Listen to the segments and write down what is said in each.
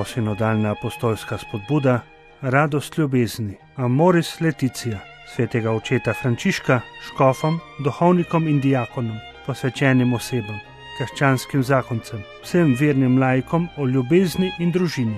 Posinodalna apostolska spodbuda, radost ljubezni, Amoris Laetitia, svetega očeta Frančiška, škofom, duhovnikom in diakonom, posvečenim osebam, krščanskim zakoncem, vsem vernim laikom o ljubezni in družini.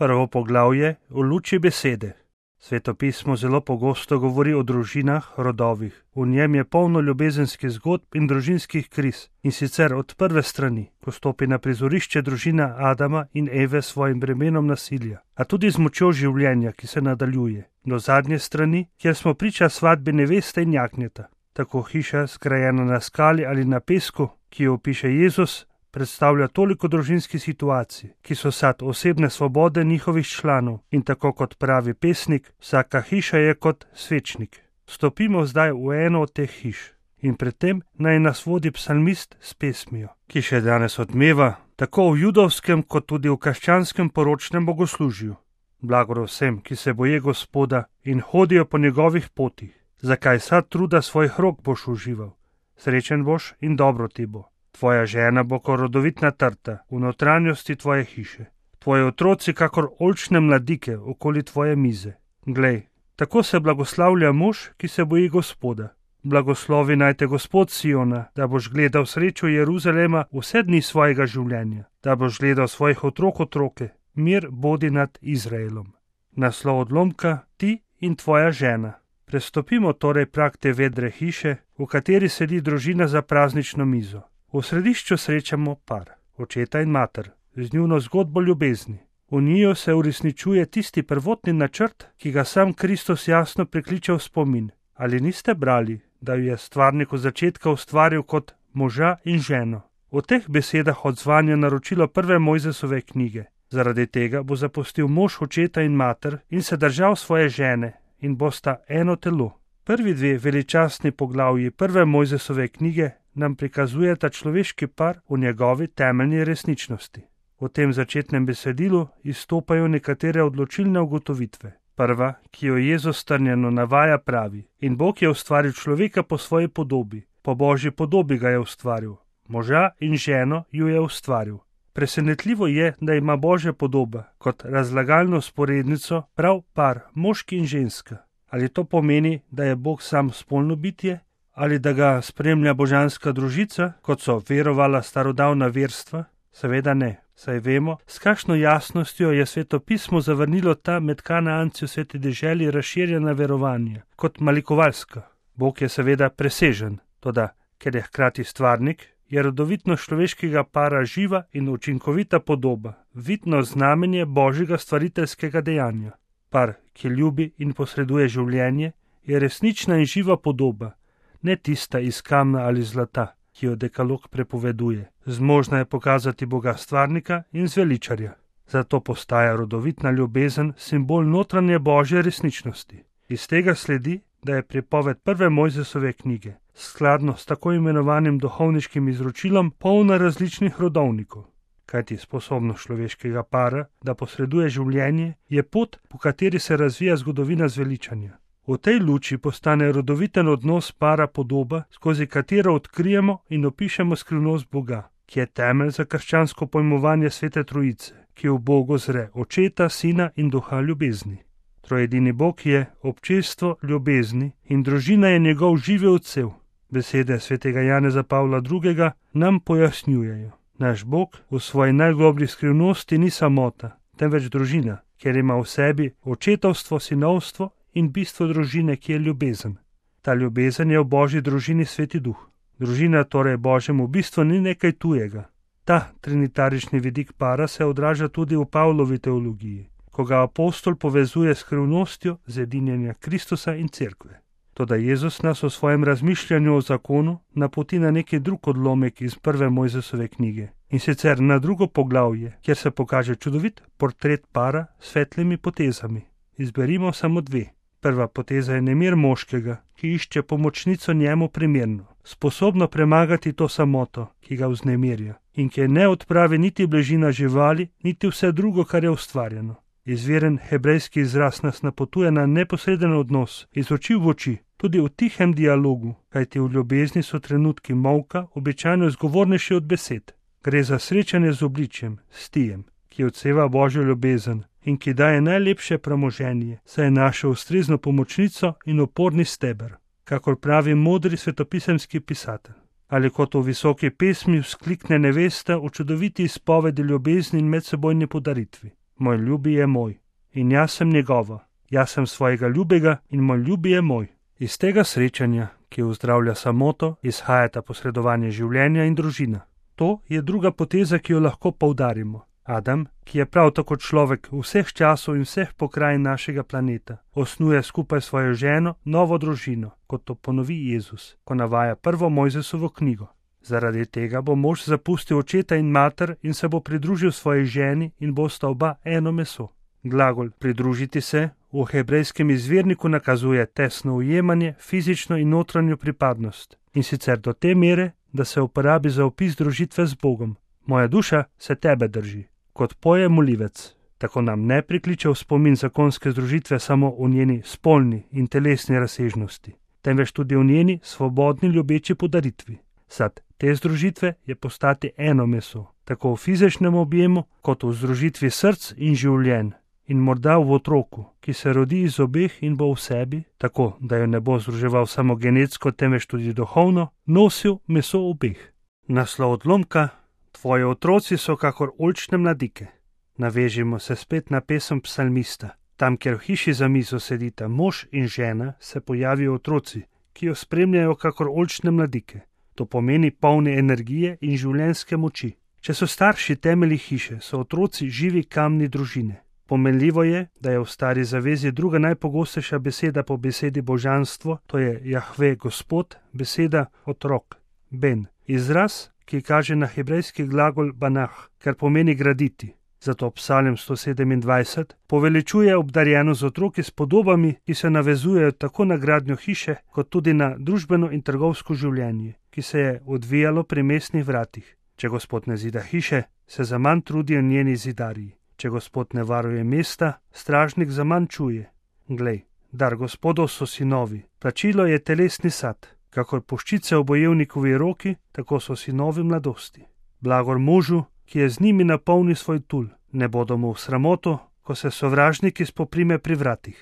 Prvo poglavje v luči besede. Sveto pismo zelo pogosto govori o družinah, rodovih. V njem je polno ljubezenskih zgodb in družinskih kriz, in sicer od prve strani, ko stopi na prizorišče družina Adama in Eve s svojim bremenom nasilja, a tudi z močjo življenja, ki se nadaljuje, do zadnje strani, kjer smo priča svadbi neveste in jagnjeta. Tako hiša, zgrajena na skali ali na pesku, ki jo opiše Jezus, predstavlja toliko družinskih situacij, ki so sad osebne svobode njihovih članov, in tako kot pravi pesnik, vsaka hiša je kot svečnik. Stopimo zdaj v eno od teh hiš in predtem naj nas vodi psalmist s pesmijo, ki še danes odmeva, tako v judovskem kot tudi v krščanskem poročnem bogoslužju. Blagor vsem, ki se boje Gospoda in hodijo po njegovih potih. Zakaj sad truda svojih rok boš užival? Srečen boš in dobro ti bo. Tvoja žena bo kot rodovitna trta v notranjosti tvoje hiše. Tvoji otroci kakor oljčne mladike okoli tvoje mize. Glej, tako se blagoslavlja mož, ki se boji Gospoda. Blagoslovi naj te Gospod Siona, da boš gledal srečo Jeruzalema vse dni svojega življenja, da boš gledal svojih otrok otroke, mir bodi nad Izraelom. Naslov odlomka: ti in tvoja žena. Prestopimo torej prag te vedre hiše, v kateri sedi družina za praznično mizo. V središču srečamo par, očeta in mater, z njuno zgodbo ljubezni. V njiju se uresničuje tisti prvotni načrt, ki ga sam Kristus jasno prikliče v spomin. Ali niste brali, da jo je stvarnik od začetka ustvaril kot moža in ženo? V teh besedah odzvanja naročilo prve Mojzesove knjige. Zaradi tega bo zapustil mož očeta in mater in se držal svoje žene in bosta eno telo. Prvi dve veličastni poglavji prve Mojzesove knjige nam prikazujeta človeški par v njegovi temeljni resničnosti. V tem začetnem besedilu izstopajo nekatere odločilne ugotovitve. Prva, ki jo Jezus strnjeno navaja, pravi: in Bog je ustvaril človeka po svoji podobi, po Božji podobi ga je ustvaril, moža in ženo ju je ustvaril. Presenetljivo je, da ima Božja podoba kot razlagalno sporednico prav par, moški in ženska. Ali to pomeni, da je Bog sam spolno bitje? Ali da ga spremlja božanska družica, kot so verovala starodavna verstva? Seveda ne, saj vemo, s kakšno jasnostjo je Sveto pismo zavrnilo ta med Kanaanci v sveti deželi razširjena verovanja, kot malikovalska. Bog je seveda presežen, toda ker je hkrati stvarnik, je rodovitnost človeškega para živa in učinkovita podoba, vidno znamenje Božjega stvariteljskega dejanja. Par, ki ljubi in posreduje življenje, je resnična in živa podoba, ne tista iz kamna ali zlata, ki jo dekalog prepoveduje. Zmožna je pokazati Boga stvarnika in zveličarja. Zato postaja rodovitna ljubezen simbol notranje Božje resničnosti. Iz tega sledi, da je pripoved prve Mojzesove knjige, skladno s tako imenovanim duhovniškim izročilom, polna različnih rodovnikov. Kajti sposobnost človeškega para, da posreduje življenje, je pot, po kateri se razvija zgodovina zveličanja. V tej luči postane rodoviten odnos para podoba, skozi katero odkrijemo in opišemo skrivnost Boga, ki je temelj za krščansko pojmovanje Svete Trojice, ki v Bogu zre Očeta, Sina in Duha ljubezni. Trojedini Bog je občestvo ljubezni in družina je njegov živi odsev. Besede svetega Janeza Pavla II. Nam pojasnjujejo. Naš Bog v svoji najgloblji skrivnosti ni samota, temveč družina, kjer ima v sebi očetovstvo, sinovstvo in bistvo družine, ki je ljubezen. Ta ljubezen je v Božji družini Sveti Duh. Družina torej Božjemu bistvu ni nekaj tujega. Ta trinitarični vidik para se odraža tudi v Pavlovi teologiji, ko ga apostol povezuje s skrivnostjo zedinjenja Kristusa in Cerkve. Toda Jezus nas v svojem razmišljanju o zakonu napoti na neki drug odlomek iz prve Mojzesove knjige, in sicer na drugo poglavje, kjer se pokaže čudovit portret para s svetlimi potezami. Izberimo samo dve. Prva poteza je nemir moškega, ki išče pomočnico njemu primerno, sposobno premagati to samoto, ki ga vznemirja, in ki ne odpravi niti bližina živali, niti vse drugo, kar je ustvarjeno. Izviren hebrejski izraz nas napotuje na neposreden odnos, iz oči v oči, tudi v tihem dialogu, kajti v ljubezni so trenutki molka običajno zgovornejši od besed. Gre za srečanje z obličjem, stijem, ki odseva Božjo ljubezen in ki daje najlepše premoženje, saj je našel ustrezno pomočnico in oporni steber, kakor pravi modri svetopisemski pisatelj. Ali kot v visoki pesmi vzklikne nevesta v čudoviti izpovedi ljubezni in medsebojni podaritvi. Moj ljubi je moj in jaz sem njegova, jaz sem svojega ljubega in moj ljubi je moj. Iz tega srečanja, ki uzdravlja samoto, izhajata posredovanje življenja in družina. To je druga poteza, ki jo lahko poudarimo. Adam, ki je prav tako človek vseh časov in vseh pokrajin našega planeta, osnuje skupaj svojo ženo novo družino, kot to ponovi Jezus, ko navaja prvo Mojzesovo knjigo. Zaradi tega bo mož zapustil očeta in mater in se bo pridružil svoji ženi in bosta oba eno meso. Glagol pridružiti se v hebrejskem izvirniku nakazuje tesno ujemanje, fizično in notranjo pripadnost, in sicer do te mere, da se uporabi za opis družitve z Bogom. Moja duša se tebe drži, kot poje molivec. Tako nam ne prikliče v spomin zakonske združitve samo v njeni spolni in telesni razsežnosti, temveč tudi v njeni svobodni ljubeči podaritvi. Sad te združitve je postati eno meso, tako v fizičnem objemu, kot v združitvi src in življenj, in morda v otroku, ki se rodi iz obeh in bo v sebi, tako da jo ne bo združeval samo genetsko, temveč tudi duhovno, nosil meso obeh. Naslov odlomka: Tvoji otroci so kakor oljčne mladike. Navežimo se spet na pesem psalmista. Tam, kjer v hiši za mizo sedita mož in žena, se pojavijo otroci, ki jo spremljajo kakor oljčne mladike. To pomeni polne energije in življenjske moči. Če so starši temelji hiše, so otroci živi kamni družine. Pomenljivo je, da je v Stari zavezi druga najpogostejša beseda po besedi božanstvo, to je Jahve Gospod, beseda otrok, ben. Izraz, ki kaže na hebrejski glagol banah, kar pomeni graditi. Zato Psalm 127 poveličuje obdarjeno z otroki s podobami, ki se navezujejo tako na gradnjo hiše, kot tudi na družbeno in trgovsko življenje, ki se je odvijalo pri mestnih vratih. Če Gospod ne zida hiše, se zaman trudijo njeni zidarji. Če Gospod ne varuje mesta, stražnik zaman čuje. Glej, dar Gospodov so sinovi, plačilo je telesni sad. Kakor puščice v bojevnikovi roki, tako so sinovi mladosti. Blagor možu, ki je z njimi napolni svoj tul, ne bodo mu v sramoto, ko se sovražniki spoprime pri vratih.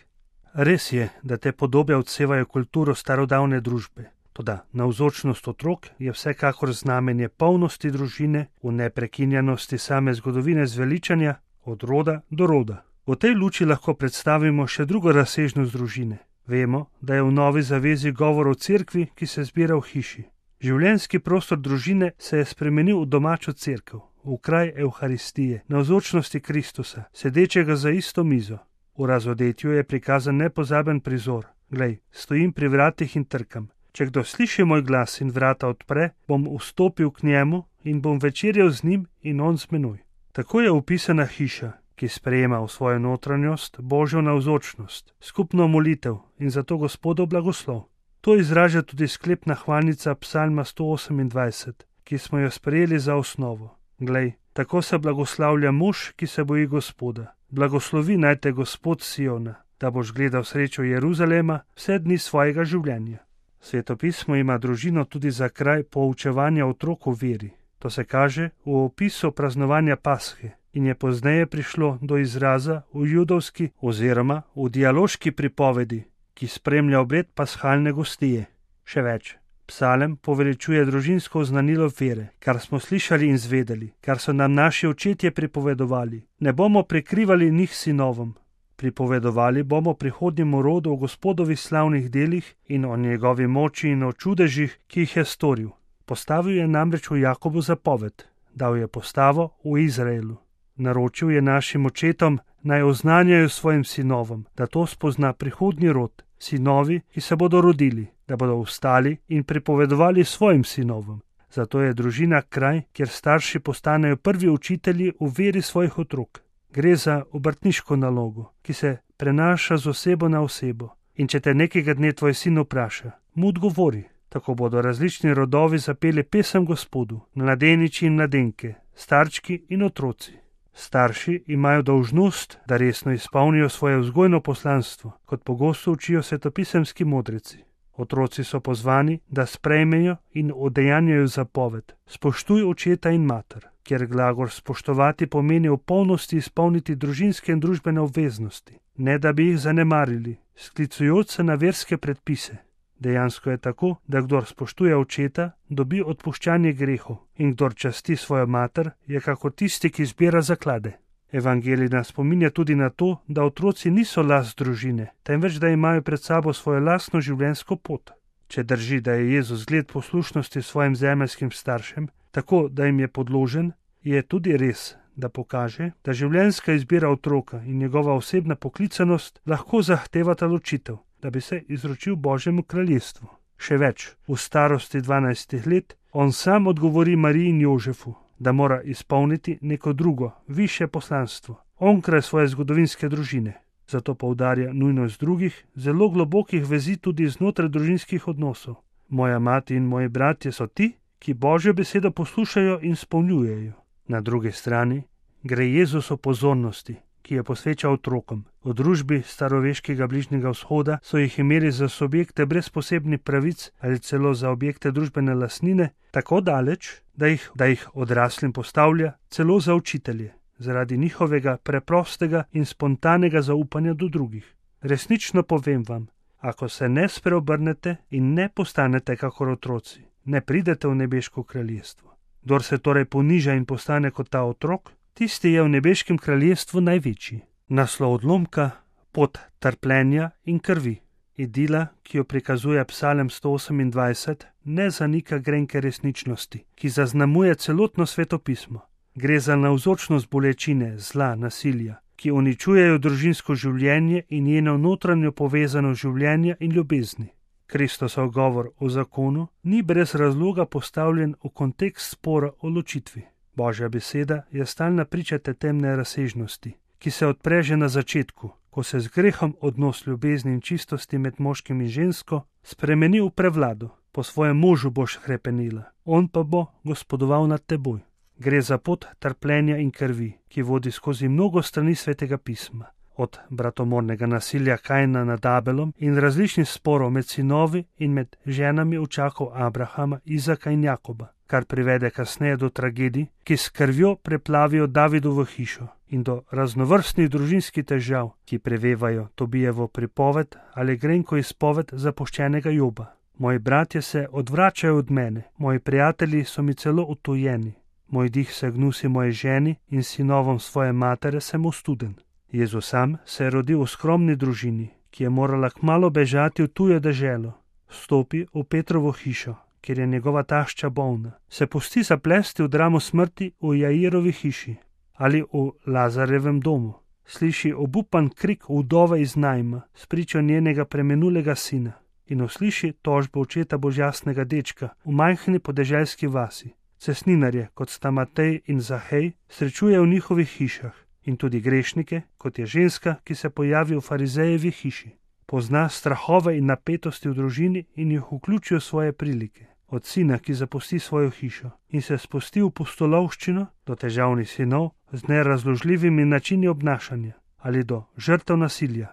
Res je, da te podobe odsevajo kulturo starodavne družbe, toda navzočnost otrok je vsekakor znamenje polnosti družine, v neprekinjanosti same zgodovine zveličanja, od roda do roda. V tej luči lahko predstavimo še drugo razsežnost družine. Vemo, da je v Novi zavezi govor o cerkvi, ki se zbira v hiši. Življenjski prostor družine se je spremenil v domačo cerkev, v kraj Evharistije, navzočnosti Kristusa, sedečega za isto mizo. V razodetju je prikazan nepozaben prizor. Glej, stojim pri vratih in trkam. Če kdo sliši moj glas in vrata odpre, bom vstopil k njemu in bom večerjal z njim in on z menoj. Tako je opisana hiša, ki sprejema v svojo notranjost Božjo navzočnost, skupno molitev in zato Gospodov blagoslov. To izraža tudi sklepna hvalnica Psalma 128, ki smo jo sprejeli za osnovo. Glej, tako se blagoslavlja mož, ki se boji Gospoda. Blagoslovi naj te Gospod Siona, da boš gledal srečo Jeruzalema vse dni svojega življenja. Svetopismo ima družino tudi za kraj poučevanja otrok v veri. To se kaže v opisu praznovanja Pashe in je pozneje prišlo do izraza v judovski oziroma v dialoški pripovedi, ki spremlja obred pashalne gostije. Še več, psalem poveličuje družinsko oznanilo vere, kar smo slišali in zvedeli, kar so nam naši očetje pripovedovali. Ne bomo prikrivali njih sinovom. Pripovedovali bomo prihodnjemu rodu o Gospodovih slavnih delih in o njegovi moči in o čudežih, ki jih je storil. Postavil je namreč v Jakobu zapoved, dal je postavo v Izraelu. Naročil je našim očetom, naj oznanjajo svojim sinovom, da to spozna prihodnji rod, sinovi, ki se bodo rodili, da bodo vstali in pripovedovali svojim sinovom. Zato je družina kraj, kjer starši postanejo prvi učitelji v veri svojih otrok. Gre za obrtniško nalogo, ki se prenaša z osebo na osebo. In če te nekega dne tvoj sin vpraša, mu odgovori. Tako bodo različni rodovi zapeli pesem Gospodu, mladeniči in mladenke, starčki in otroci. Starši imajo dolžnost, da resno izpolnijo svoje vzgojno poslanstvo, kot pogosto učijo svetopisemski modreci. Otroci so pozvani, da sprejmejo in udejanjajo zapoved: spoštuj očeta in mater, kjer glagol spoštovati pomeni v polnosti izpolniti družinske in družbene obveznosti, ne da bi jih zanemarili, sklicujoč se na verske predpise. Dejansko je tako, da kdor spoštuje očeta, dobi odpuščanje grehov, in kdor časti svojo mater, je kakor tisti, ki zbira zaklade. Evangelij nas spominja tudi na to, da otroci niso last družine, temveč da imajo pred sabo svojo lastno življenjsko pot. Če drži, da je Jezus zgled poslušnosti svojim zemeljskim staršem, tako da jim je podložen, je tudi res, da pokaže, da življenjska izbira otroka in njegova osebna poklicanost lahko zahtevata ločitev, da bi se izročil Božjemu kraljestvu. Še več, v starosti 12 let on sam odgovori Mariji in Jožefu, da mora izpolniti neko drugo, višje poslanstvo, onkraj svoje zgodovinske družine. Zato poudarja nujnost drugih, zelo globokih vezi tudi znotraj družinskih odnosov. Moja mati in moji bratje so ti, ki Božjo besedo poslušajo in spolnjujejo. Na drugi strani gre Jezus o pozornosti, ki je posvečal otrokom. V družbi staroveškega Bližnjega vzhoda so jih imeli za subjekte brez posebnih pravic ali celo za objekte družbene lastnine, tako daleč, da jih odraslim postavlja celo za učitelje, zaradi njihovega preprostega in spontanega zaupanja do drugih. Resnično povem vam, ako se ne spreobrnete in ne postanete kakor otroci, ne pridete v nebeško kraljestvo. Kdor se torej poniža in postane kot ta otrok, tisti je v nebeškem kraljestvu največji. Naslov odlomka: pot trpljenja in krvi. Idila, ki jo prikazuje Psalem 128, ne zanika grenke resničnosti, ki zaznamuje celotno svetopismo. Gre za navzočnost bolečine, zla, nasilja, ki uničujejo družinsko življenje in njeno notranjo povezanost življenja in ljubezni. Kristosov govor o zakonu ni brez razloga postavljen v kontekst spora o ločitvi. Božja beseda je stalna priča te temne razsežnosti, ki se odpre že na začetku, ko se z grehom odnos ljubezni in čistosti med moškim in žensko spremeni v prevlado. Po svojem možu boš hrepenila, on pa bo gospodoval nad teboj. Gre za pot trpljenja in krvi, ki vodi skozi mnogo strani svetega pisma. Od bratomornega nasilja Kaina nad Abelom in različnih sporov med sinovi in med ženami očakov Abrahama, Izaka in Jakoba, kar privede kasneje do tragedij, ki s krvjo preplavijo Davidovo hišo, in do raznovrstnih družinskih težav, ki prevevajo Tobijevo pripoved ali grenko izpoved zapuščenega Joba. Moji bratje se odvračajo od mene, moji prijatelji so mi celo utujeni. Moj dih se gnusi moji ženi in sinovom svoje matere sem ostuden. Jezus sam se je rodil v skromni družini, ki je morala kmalu bežati v tujo deželo. Vstopi v Petrovo hišo, kjer je njegova tašča bolna. Se pusti zaplesti v dramo smrti v Jairovi hiši ali v Lazarevem domu. Sliši obupan krik vdove iz Najma, spričo njenega preminulega sina, in usliši tožbo očeta božjasnega dečka v majhni podeželski vasi. Cestninarje, kot sta Matej in Zahej, srečuje v njihovih hišah, in tudi grešnike, kot je ženska, ki se pojavi v farizejevi hiši. Pozna strahove in napetosti v družini in jih vključi v svoje prilike. Od sina, ki zapusti svojo hišo in se spusti v pustolovščino, do težavnih sinov z nerazložljivimi načini obnašanja ali do žrtev nasilja.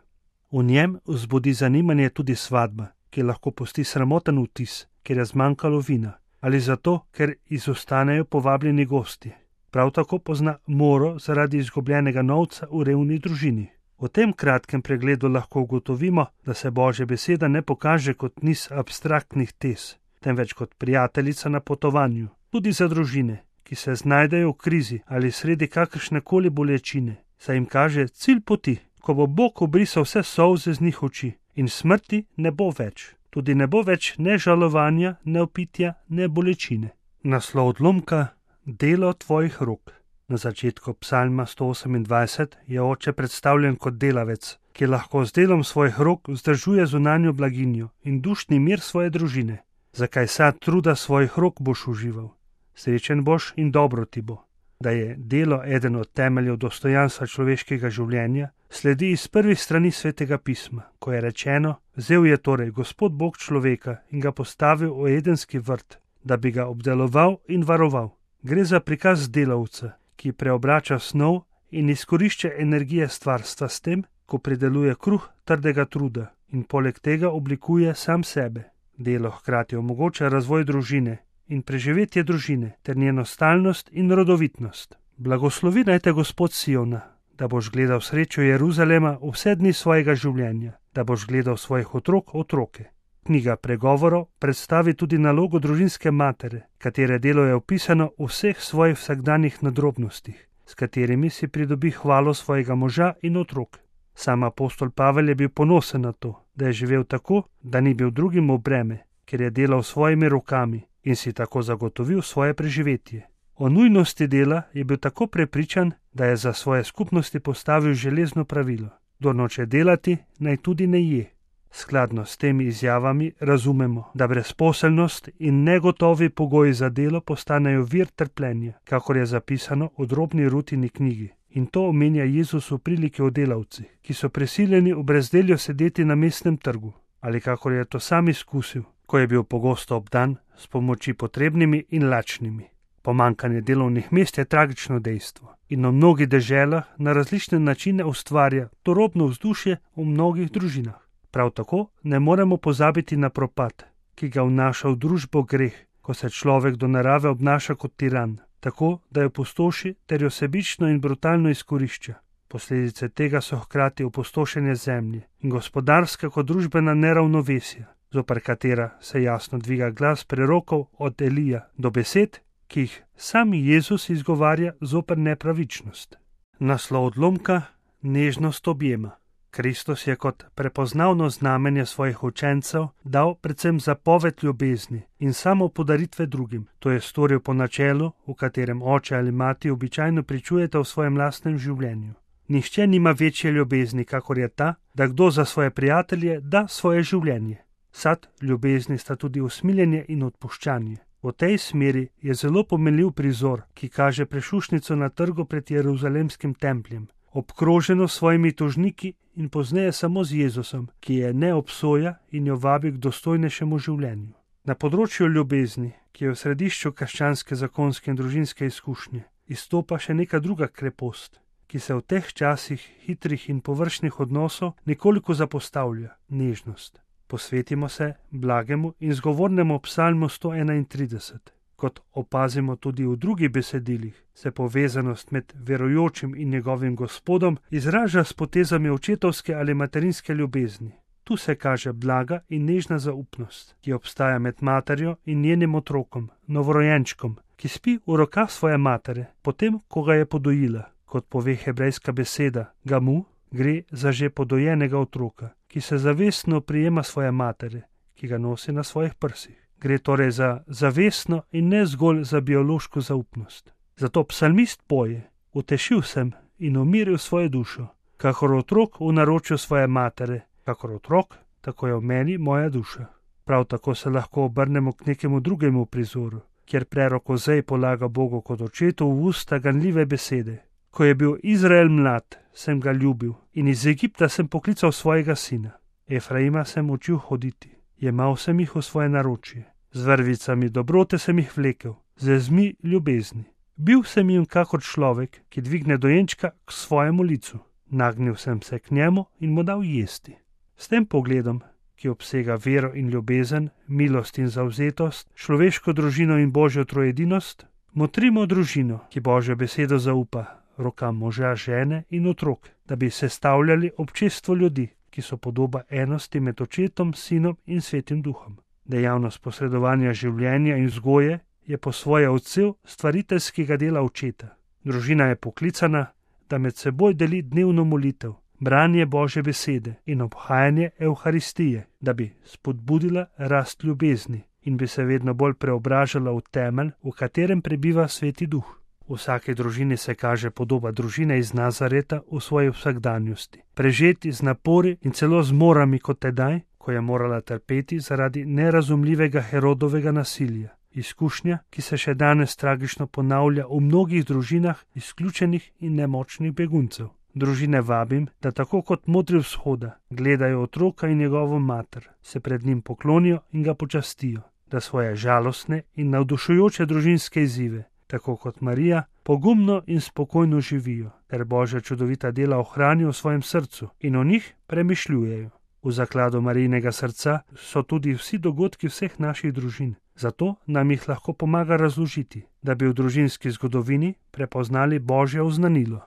V njem vzbudi zanimanje tudi svadba, ki lahko pusti sramoten vtis, ker je zmanjkalo vina, ali zato, ker izostanejo povabljeni gosti. Prav tako pozna moro zaradi izgubljenega novca v revni družini. V tem kratkem pregledu lahko ugotovimo, da se Božja beseda ne pokaže kot niz abstraktnih tez, temveč kot prijateljica na potovanju, tudi za družine, ki se znajdejo v krizi ali sredi kakršnekoli bolečine, saj jim kaže cilj poti, ko bo Bog obrisal vse solze z njih oči in smrti ne bo več. Tudi ne bo več ne žalovanja, ne opitja, ne bolečine. Naslov odlomka: delo tvojih rok. Na začetku psalma 128 je oče predstavljen kot delavec, ki lahko z delom svojih rok vzdržuje zunanjo blaginjo in dušni mir svoje družine. Zakaj sad truda svojih rok boš užival? Srečen boš in dobro ti bo. Da je delo eden od temeljev dostojanstva človeškega življenja, sledi iz prvih strani svetega pisma, ko je rečeno: vzel je torej Gospod Bog človeka in ga postavil v edenski vrt, da bi ga obdeloval in varoval. Gre za prikaz delavca, ki preobrača snov in izkorišča energije stvarstva s tem, ko prideluje kruh trdega truda in poleg tega oblikuje sam sebe. Delo hkrati omogoča razvoj družine in preživetje družine ter njeno stalnost in rodovitnost. Blagoslovi naj te Gospod Siona, da boš gledal srečo Jeruzalema vse dni svojega življenja, da boš gledal svojih otrok otroke. Knjiga Pregovorov predstavi tudi nalogo družinske matere, katere delo je opisano v vseh svojih vsakdanjih nadrobnostih, s katerimi si pridobi hvalo svojega moža in otrok. Sam apostol Pavel je bil ponosen na to, da je živel tako, da ni bil drugim v breme, ker je delal svojimi rokami in si tako zagotovil svoje preživetje. O nujnosti dela je bil tako prepričan, da je za svoje skupnosti postavil železno pravilo: kdor noče delati, naj tudi ne je. Skladno s temi izjavami razumemo, da brezposelnost in negotovi pogoji za delo postanejo vir trpljenja, kakor je zapisano v drobni Rutini knjigi. In to omenja Jezus v priliki o delavcih, ki so prisiljeni v brezdelju sedeti na mestnem trgu, ali kakor je to sam izkusil, ko je bil pogosto obdan s pomoči potrebnimi in lačnimi. Pomanjkanje delovnih mest je tragično dejstvo in v mnogih deželah na različne načine ustvarja turobno vzdušje v mnogih družinah. Prav tako ne moremo pozabiti na propad, ki ga vnaša v družbo greh, ko se človek do narave obnaša kot tiran, tako da jo pustoši ter jo sebično in brutalno izkorišča. Posledice tega so hkrati opustošenje zemlje in gospodarska kot družbena neravnovesja, zoper katera se jasno dviga glas prerokov od Elija do besed, ki jih sam Jezus izgovarja zoper nepravičnost. Naslov odlomka: nežnost objema. Kristus je kot prepoznavno znamenje svojih učencev dal predvsem zapoved ljubezni in samo podaritve drugim. To je storil po načelu, v katerem oče ali mati običajno pričujete v svojem lastnem življenju. Nihče nima večje ljubezni, kakor je ta, da kdo za svoje prijatelje da svoje življenje. Sad ljubezni sta tudi usmiljenje in odpuščanje. V tej smeri je zelo pomenljiv prizor, ki kaže prešušnico na trgu pred Jeruzalemskim templjem, obkroženo s svojimi tožniki in pozneje samo z Jezusom, ki je ne obsoja in jo vabi k dostojnejšemu življenju. Na področju ljubezni, ki je v središču krščanske zakonske in družinske izkušnje, izstopa še neka druga krepost, ki se v teh časih hitrih in površnih odnosov nekoliko zapostavlja: nežnost. Posvetimo se blagemu in zgovornemu psalmu 131. Kot opazimo tudi v drugih besedilih, se povezanost med verujočim in njegovim Gospodom izraža s potezami očetovske ali materinske ljubezni. Tu se kaže blaga in nežna zaupnost, ki obstaja med materjo in njenim otrokom, novorojenčkom, ki spi v rokah svoje matere, potem, ko ga je podojila. Kot pove hebrejska beseda gamu, gre za že podojenega otroka, ki se zavestno prijema svoje matere, ki ga nosi na svojih prsih. Gre torej za zavestno in ne zgolj za biološko zaupnost. Zato psalmist poje: utešil sem in umiril svojo dušo, kakor otrok v naročju svoje matere, kakor otrok, tako je v meni moja duša. Prav tako se lahko obrnemo k nekemu drugemu prizoru, kjer prerok Ozej polaga Bogu kot očetu v usta ganljive besede: ko je bil Izrael mlad, sem ga ljubil in iz Egipta sem poklical svojega sina. Efraima sem učil hoditi, jemal sem jih v svoje naročje. Z vrvicami dobrote sem jih vlekel, z vezmi ljubezni. Bil sem jim kakor človek, ki dvigne dojenčka k svojemu licu. Nagnil sem se k njemu in mu dal jesti. S tem pogledom, ki obsega vero in ljubezen, milost in zavzetost, človeško družino in božjo troedinost, motrimo družino, ki božjo besedo zaupa rokam moža, žene in otrok, da bi sestavljali občestvo ljudi, ki so podoba enosti med očetom, sinom in svetim duhom. Dejavnost posredovanja življenja in vzgoje je po svoje odsev stvariteljskega dela očeta. Družina je poklicana, da med seboj deli dnevno molitev, branje Božje besede in obhajanje Evharistije, da bi spodbudila rast ljubezni in bi se vedno bolj preobražala v temelj, v katerem prebiva sveti duh. V vsaki družini se kaže podoba družine iz Nazareta v svoji vsakdanjosti, prežeti z napori in celo z morami kot tedaj, ko je morala trpeti zaradi nerazumljivega Herodovega nasilja. Izkušnja, ki se še danes tragično ponavlja v mnogih družinah izključenih in nemočnih beguncev. Družine vabim, da tako kot modri vzhoda gledajo otroka in njegovo mater, se pred njim poklonijo in ga počastijo, da svoje žalostne in navdušujoče družinske izzive, tako kot Marija, pogumno in spokojno živijo, ter Božja čudovita dela ohranijo v svojem srcu in o njih premišljujejo. V zakladu Marijinega srca so tudi vsi dogodki vseh naših družin. Zato nam jih lahko pomaga razložiti, da bi v družinski zgodovini prepoznali Božje oznanilo.